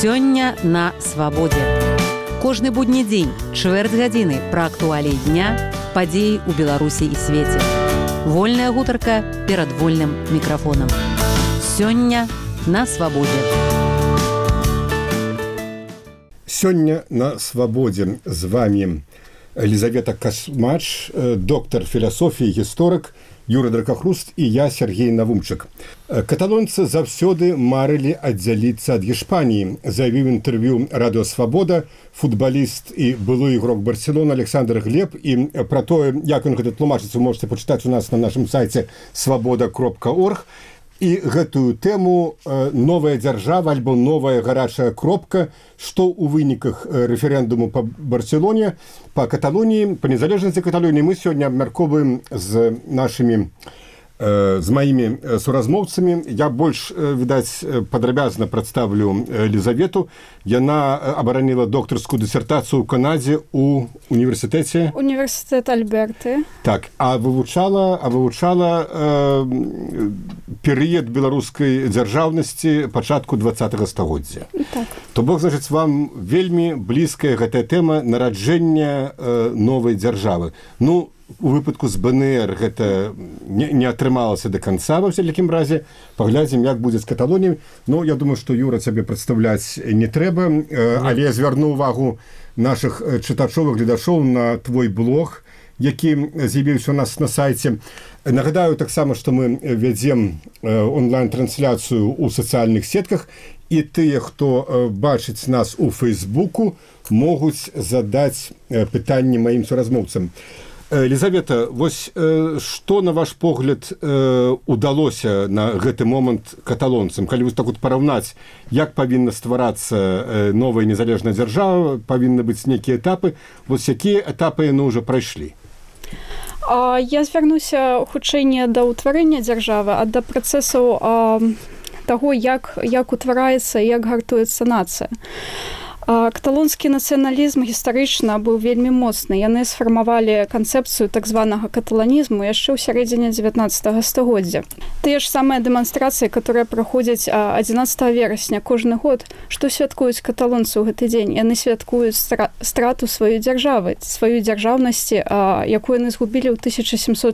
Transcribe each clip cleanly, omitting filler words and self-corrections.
Сёння на свабодзе. Кожны будні дзень, чвэрць гадзіны пра актуаліі дня, падзеі ў Беларусі і свеце. Вольная гутарка перад вольным мікрафонам. Сёння на свабодзе. Сёння на свабодзе з вами Елизавета Касмач, доктор філасофіі, гісторык, Юрий Дракахруст і я, Сергей Навумчык. Каталонцы заўсёды марылі аддзяліцца ад Іспаніі, заявіў інтэрв'ю Радыё Свабода футбаліст і былы ігрок Барселоны Александр Глеб. І пра тое, як ён гэта тлумачыць, вы можете пачытаць у нас на нашым сайце свабода.орг. І гэтую тэму «Новая дзяржава» альбо «Новая гарачая кропка», што ў выніках рэферэндуму па Барселоне, па Каталоніі, па незалежнасці Каталоніі мы сёння абмяркоўваем з нашымі з маімі суразмоўцамі. Я больш, відаць, падрабязна прадставлю Елизавету. Яна абараніла доктарскую дысертацыю ў Канадзе ў універсітэце. Універсітэт Альберты. Так, а вывучала перыяд беларускай дзяржаўнасці пачатку 20-го стагоддзя. Так. То бок, значыць, вам вельмі блізкая гэтая тэма нараджэння новай дзяржавы. Ну, у выпадку з БНР гэта не атрымалася да канца, ва ўсякім разе. Паглядзім, як будзе з Каталоніяй. Ну, я думаю, што, Юра, цябе прадстаўляць не трэба, але я звярну увагу нашых чытачоў і гледачоў на твой блог, які з'явіўся у нас на сайце. Нагадаю таксама, што мы вядзем онлайн-трансляцыю ў сацыяльных сетках, і тыя, хто бачыць нас у Фейсбуку, могуць задаць пытанні маім суразмоўцам. Елизавета, вось што, на ваш погляд, удалося на гэты момант каталонцам? Калі вось так вот параўнаць, як павінна стварацца новая незалежная дзяржава, павінны быць нейкія этапы, вось якія этапы яны ўжо прайшлі? Я звярнуся хутчэй не да ўтварэння дзяржавы, а да працэсаў таго, як утвараецца і як гартуецца нацыя. Каталонскі нацыяналізм гістарычна быў вельмі моцны. Яны сфармавалі канцэпцыю так званага каталанізму яшчэ ў сярэдзіне 19 стагоддзя. Тыя ж самыя дэманстрацыі, которые праходзяць 11 верасня кожны год, што святкуюць каталонцы ў гэты дзень? Яны святкуюць страту сваёй дзяржавы, сваёй дзяржаўнасці, якую яны згубілі ў 1714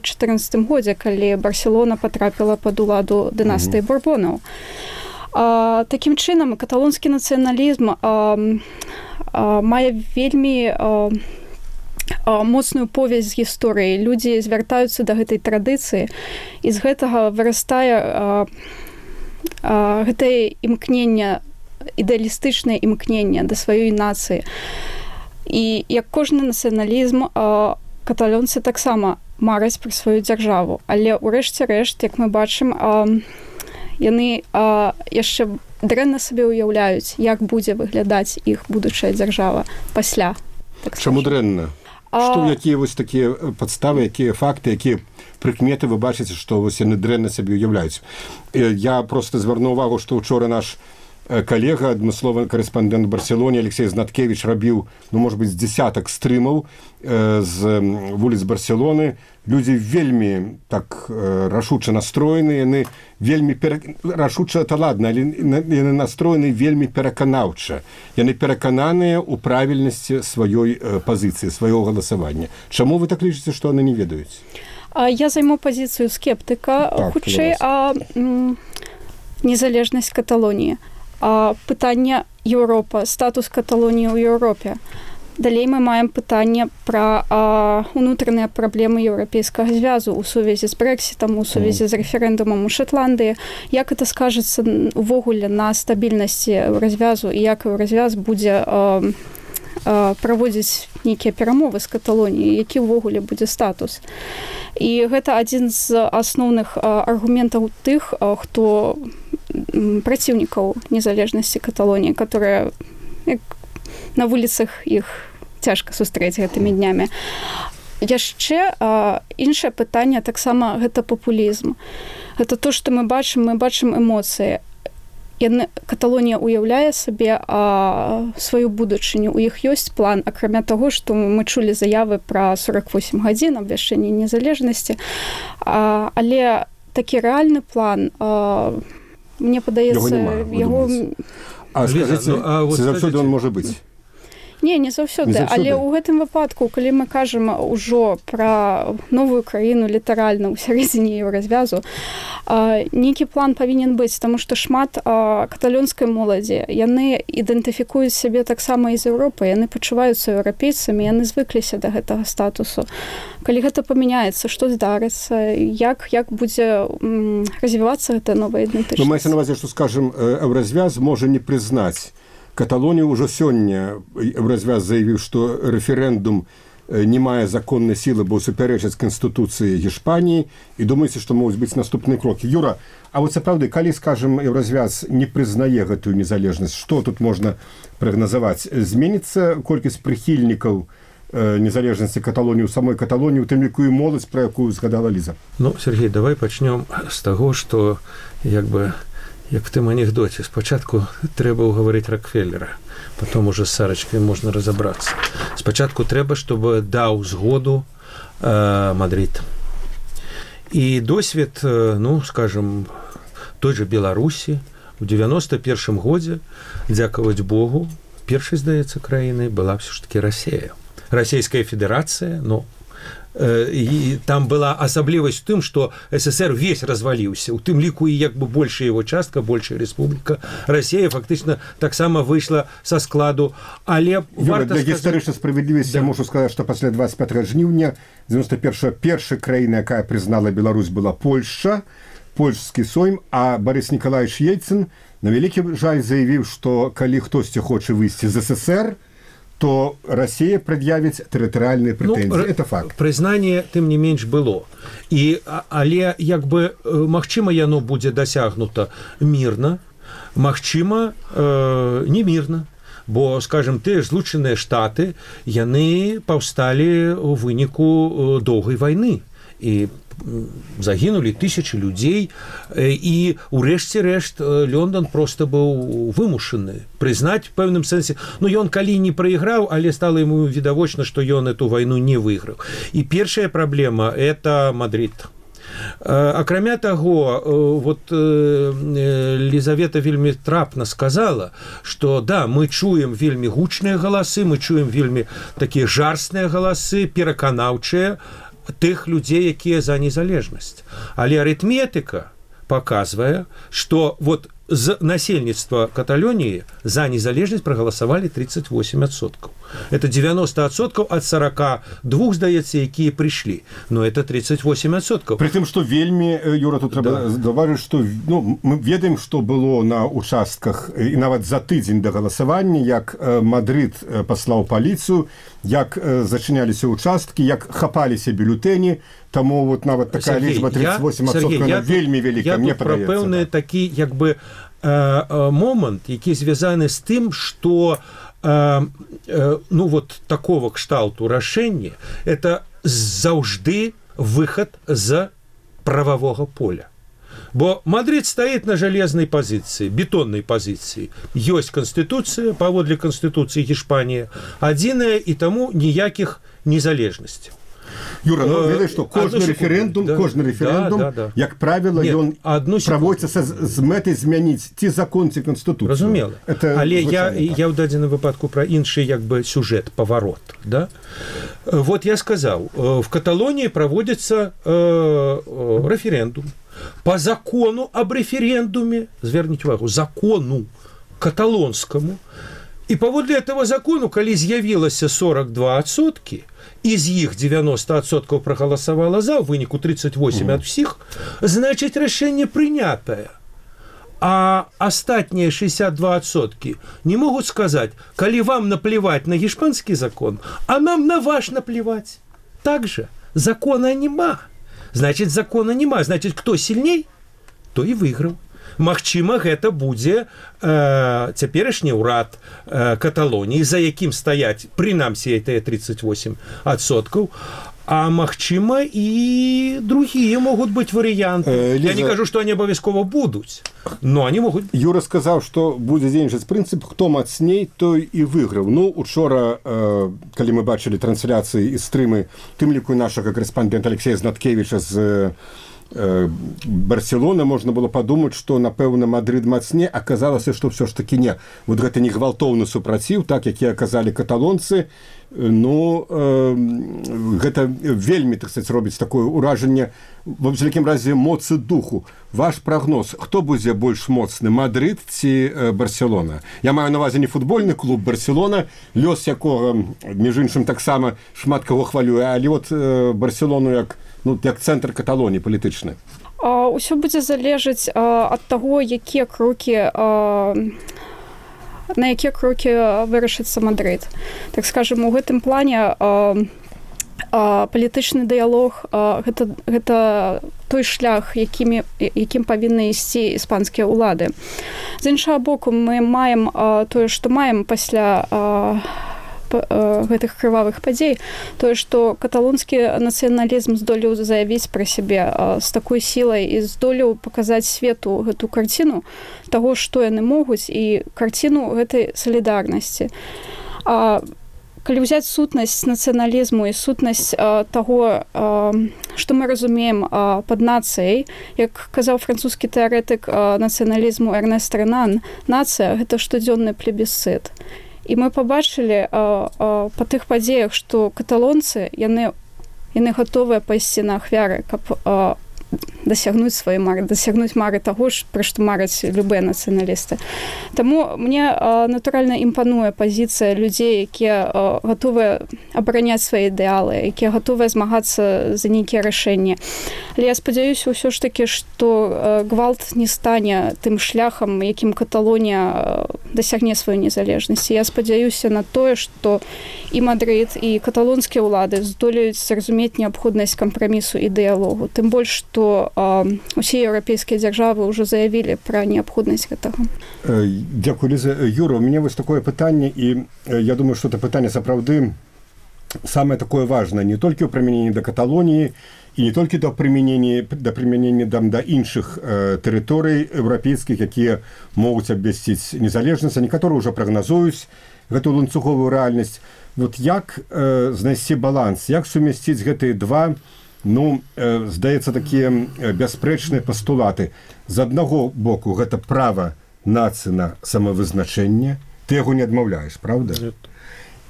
годзе, калі Барселона патрапіла пад уладу дынастыі Бурбонаў. Такім чынам, каталонскі нацыяналізм мае вельмі моцную повязь з гісторыяй. Людзі звяртаюцца да гэтай традыцыі, і з гэтага вырастае гэтае імкненне, ідэалістычнае імкненне да сваёй нацыі. І як кожны нацыяналізм, каталонцы таксама мараць пра сваю дзяржаву. Але ўрэшце рэшт, як мы бачым, яны яшчэ дрэнна сабе ўяўляюць, як будзе выглядаць іх будучая дзяржава пасля. Чаму дрэнна? Што, якія вось такія падставы, якія факты, якія прыкметы вы бачыце, што вось яны дрэнна сабе ўяўляюць? Я проста звярну увагу, што ўчора наш калега, адмысловы корэспандэнт в Барселоне Алексей Знаткевич рабіў, ну, может быть, з дзесятак стрымаў з вуліц Барселоны. Людзі вельмі так рашуча настроены, яны вельмі рашуча, это ладно, але яны настроены вельмі пераканаўча. Яны перакананыя ў правільнасці сваёй пазіцыі, свайго галасавання. Чаму вы так лічыце, што яны не ведаюць? Я займу пазіцыю скептыка, хутчэй, незалежнасць Каталоніі. Пытанне Еўропа, статус Каталоніі ў Еўропе. Далей мы маем пытанне пра унутраныя праблемы еўрапейскага звязу ў сувязі з Брэксітам, у сувязі з рэферэндумам у Шотландыі. Як гэта скажацца увогуле на стабільнасці развязу і як развяз будзе праводзіць нейкія перамовы з Каталоніяй, які ўвогуле будзе статус. І гэта адзін з асноўных аргументаў тых, хто праціўнікаў незалежнасці Каталоніі, которые на вуліцах іх цяжка сустрэць гэтымі днямі. Яшчэ іншае пытанне таксама гэта папулізм. Гэта то, што мы бачым эмоцыі. Каталонія уяўляе сабе сваю будучыню. У іх ёсць план, акрамя таго, што мы чулі заявы пра 48 гадзін абвяшчэння незалежнасці. Але такі рэальны план, мне падаецца, яго... А скажите, ці заўсёды он можа быць? Не заўсёды, але ў гэтым выпадку, калі мы кажам ужо пра новую краіну літаральна ў сярэдзіне еўразвязу, нейкі план павінен быць, таму што шмат каталонскай моладзі, яны ідэнтыфікуюць сябе таксама і з Еўропы, яны пачуваюцца еўрапейцамі, яны звыкліся да гэтага статусу. Калі гэта памяняецца, што здарыцца, як будзе развівацца гэтая новая ідэнтычнасць? Маецца на увазе, што, скажам, еўразвяз можа не прызнаць Каталонію. Ўжо сёння Еўразвяз заявіў, што рэферэндум не мае законнай сілы, бо супярэчыць Канстытуцыі Гішпаніі, і думаеце, што могуць быць наступныя крокі. Юра, а вот сапраўды, калі, скажам, Еўразвяз не прызнае гэтую незалежнасць, што тут можна прагназаваць? Зменіцца колькасць прыхільнікаў незалежнасці Каталоніі ў самой Каталоніі, у тым ліку і моладзь, пра якую згадала Ліза? Ну, Сергей, давай пачнём з таго, што як в тым анекдоце, спачатку трэба ўгаварыць Рокфеллера, потом уже з Сарачкай можна разабрацца. Спачатку трэба, чтобы даў згоду Мадрид. І досвед, ну, скажем, той же Беларусі у 91-м годзе, дзякаваць Богу, першай, здаецца, краінай была ўсё ж такі Расія. Расійская Федэрацыя, ну, і там была асаблівасць у тым, што СССР весь разваліўся, у тым ліку і як бы большая его частка, большая рэспубліка. Расія фактычна таксама выйшла са складу, але варта для гістарычнай справядлівасці я можу сказаць, што пасля 25 жніўня 91-го першая краіна, якая прызнала Беларусь, была Польшча, польскі Сойм, а Барыс Нікалаевич Ельцин на вялікі жаль заявіў, што калі хтосьці хоча выйсці з СССР, то Россия предъявит территориальные претензии. Это факт. Признание, тым не менш, было. Але, як бы, магчыма, яно будзе дасягнута мірна, магчыма, не мірна. Бо, скажем, тыя ж Злучаныя Штаты, яны паўсталі ў выніку доўгай вайны. І загінулі тысячы людзей, і урэшце рэшт Лондон просто быў вымушаны прызнаць в пэўным сэнсе. Ну, ён калі не прайграў, але стала яму відавочна, што ён эту вайну не выйграў. І першая праблема – это Мадрид. Акрамя таго, вот Лізавета вельмі трапна сказала, што да, мы чуем вельмі гучныя галасы, мы чуем вельмі такія жарсныя галасы, пераканаўчыя тых людзей, якія за незалежнасць. Але арытметыка паказвае, што вот з насельніцтва Каталоніі за незалежнасць прагаласавалі 38%. Это 90% ад 42, здаецца, якія прыйшлі. Но это 38%. При тым, што вельмі, Юра, тут трэба заўважыць, што мы ведаем, што было на участках і нават за тыдзень да галасавання, як Мадрид паслаў паліцыю, як зачыняліся участкі, як хапаліся бюлетэні. Таму вот нават такая лічба 38% она вельмі вялікая, мне падаецца. Я тут пра пэўны такі, як бы, момант, які звязаны з тым, што ну вот такого кшталту рашэння это заўжды выхад з прававога поля. Бо Мадрид стаіць на жалезнай пазіцыі, бетоннай пазіцыі. Ёсць Канстытуцыя, паводле Канстытуцыі Гішпанія, адзіная, і таму ніякіх незалежнасцяў. Юра, ну, ведаеш, што кожны рэферэндум, як правіла, ён праводзіцца з мэтай змяніць ці закон, ці Канстытуцыю. Разумела. Але я ў дадзеным выпадку пра іншы, як бы, сюжэт, паварот. Да? Вот я сказаў, в Каталоніі праводзіцца рэферэндум. По закону об референдуме, зверніце увагу, закону каталонскому, і паводле этого закону, калі з'явілася 42%, из іх 90% проголосовало за, в выніку 38 от всіх, значит, рашэнне прынятае. А астатнія 62% не могут сказать, калі вам наплевать на гішпанскі закон, а нам на ваш наплевать. Так же, закона нема. Значит, закона нема. Значит, кто сильней, то и выиграл. Магчыма, гэта будзе цяперашні ўрад Каталоніі, за якім стаяць, прынамсі, это 38%, а магчыма, і другія могуць быць варыянты. Я не кажу, што они абавязкова будуць, но они могуць. Юра сказаў, што будзе дзейнічаць прынцып, хто мацней, той і выйграў. Ну, учора, калі мы бачылі трансляцыі і стрымы, тым ліку нашага корэспандэнта Алексея Знаткевіча з Барселона, можна было падумаць, што, напэўна, Мадрид мацней, аказалася, што ўсё ж такі не. Вот гэта не гвалтоўны супраціў, так, які аказалі каталонцы, ну, гэта вельмі, так сказаць, робіць такое ўражанне, ва ўсякім разе, моцы духу. Ваш прагноз, хто будзе больш моцны, Мадрид ці Барселона? Я маю на увазе не футбольны клуб Барселона, лёс якога, між іншым, таксама шмат каго хвалюе, але от Барселону як цэнтр Каталоніі палітычны. Усё будзе залежаць ад таго, на якія крокі вырашыцца Мадрид. Так скажем, у гэтым плане палітычны дыялог гэта той шлях, якім павінны ісці іспанскія ўлады. З іншага боку, мы маем тое, што маем пасля гэтых крывавых падзей, тое, што каталонскі нацыяналізм здолеў заявіць пра сябе з такой сілай і здолеў паказаць свету гэту карціну таго, што яны могуць, і карціну гэтай салідарнасці. Калі ўзяць сутнасць нацыяналізму і сутнасць таго, што мы разумеем пад нацыяй, як казаў французскі тэарэтык нацыяналізму Эрнест Ренан, нацыя – гэта штодзённы плебісцыт. І мы пабачылі па тых падзеях, што каталонцы, яны гатовыя пайсці на ахвяры, каб дасягнуць свае мары, дасягнуць мары таго ж, пра што мараць любыя нацыяналісты. Таму мне, натуральна, імпануе пазіцыя людзей, якія гатовыя абараняць свае ідэалы, якія гатовыя змагацца за нейкія рашэнні. Але я спадзяюся ўсё ж такі, што гвалт не стане тым шляхам, якім Каталонія дасягне сваю незалежнасць. Я спадзяюся на тое, што і Мадрид, і каталонскія ўлады здолеюць зразумець неабходнасць кампрамісу і дыялогу. Тым больш, што усе еўрапейскія дзяржавы ўжо заявілі пра неабходнасць гэтага. Дзякуй, Ліза. Юра, у мяне вось такое пытанне, і я думаю, што это пытанне сапраўды самае такое важнае, не толькі ў прымяненні да Каталоніі, і не толькі да прымянення да іншых тэрыторый еўрапейскіх, якія могуць абвясціць незалежнасць, а некаторыя ўжо прагназуюць гэтую ланцуговую рэальнасць. Вот як знайсці баланс, як сумясціць гэтыя два, здаецца, такія бясспрэчныя пастулаты. З аднаго боку, гэта права нацыі на самавызначэнне, ты яго не адмаўляеш, правда? Нет.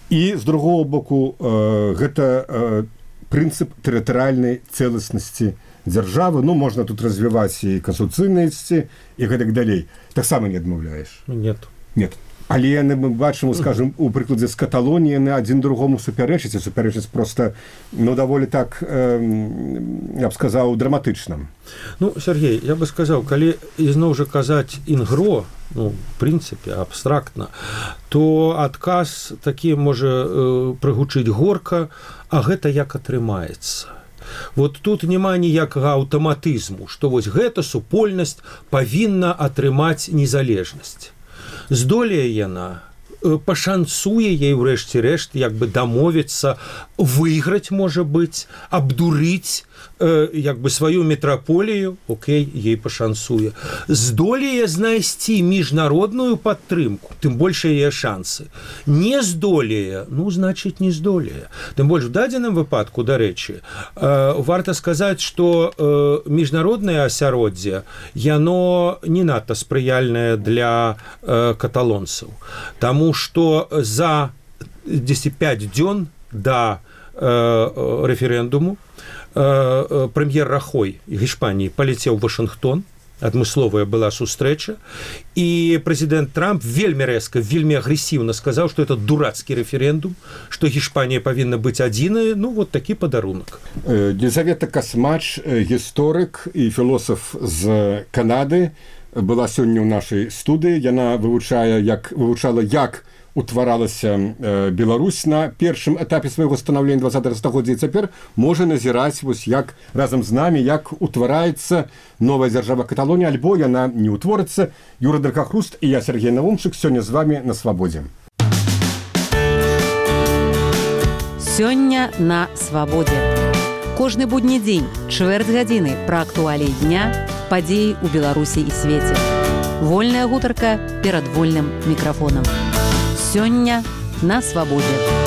І з другого боку, гэта прынцып тэрытарыяльнай цэласнасці дзяржавы, можна тут развіваць і кансультыйнасці, і гэтак далей. Таксама не адмаўляеш? Нет. Нет. Але мы бачым, скажем, у прыкладзе з Каталоніі яны адзін другому супярэчаць, і супярэчаць проста, даволі так, я б сказаў, драматычна. Сергей, я бы сказаў, калі ізноў жа казаць інгро, в прынцыпе, абстрактна, то адказ такі можа прыгучыць горка, а гэта як атрымаецца. Вот тут няма ніякага аўтаматызму, што вось гэта супольнасць павінна атрымаць незалежнасць. Здолее яна, пашанцуе ей ўрэшце рэшт, як бы дамовіцца, выйграць, можа быць, абдурыць як бы сваю метраполію, окей, ей пашанцуе. Здолее знайсці міжнародную падтрымку, тым больш яе шансы. Не здолее, значыць, не здолее. Тым больш в дадзеным выпадку, дарэчы, варта сказаць, што міжнароднае асяроддзе, яно не надта спрыяльнае для каталонцаў. Таму што за 10-5 дзён да рэферэндуму прэм'ер Рахой Гішпаніі паляцеў у Вашынгтон, адмысловая была сустрэча, і прэзідэнт Трамп вельмі рэзка, вельмі агрэсіўна сказаў, што это дурацкі рэферэндум, што Гішпанія павінна быць адзіная, вот такі падарунак. Елізавета Касмач, гісторык і філосаф з Канады, была сёння ў нашай студыі. Яна вывучала, як утваралася Беларусь на першым этапе свайго станаўлення 20-го стагоддзя, і цяпер можа назіраць як разам з намі, як утвараецца новая дзяржава Каталонія, альбо яна не ўтворыцца. Юра Дракахруст і я, Сергей Навумчык, сёння з вами на Свабодзе. Сёння на Свабодзе. Кожны будні дзень, чвэрць гадзіны пра актуаліі дня, падзеі ў Беларусі і свеце. Вольная гутарка перад вольным мікрафонам. Сёння на Свабодзе.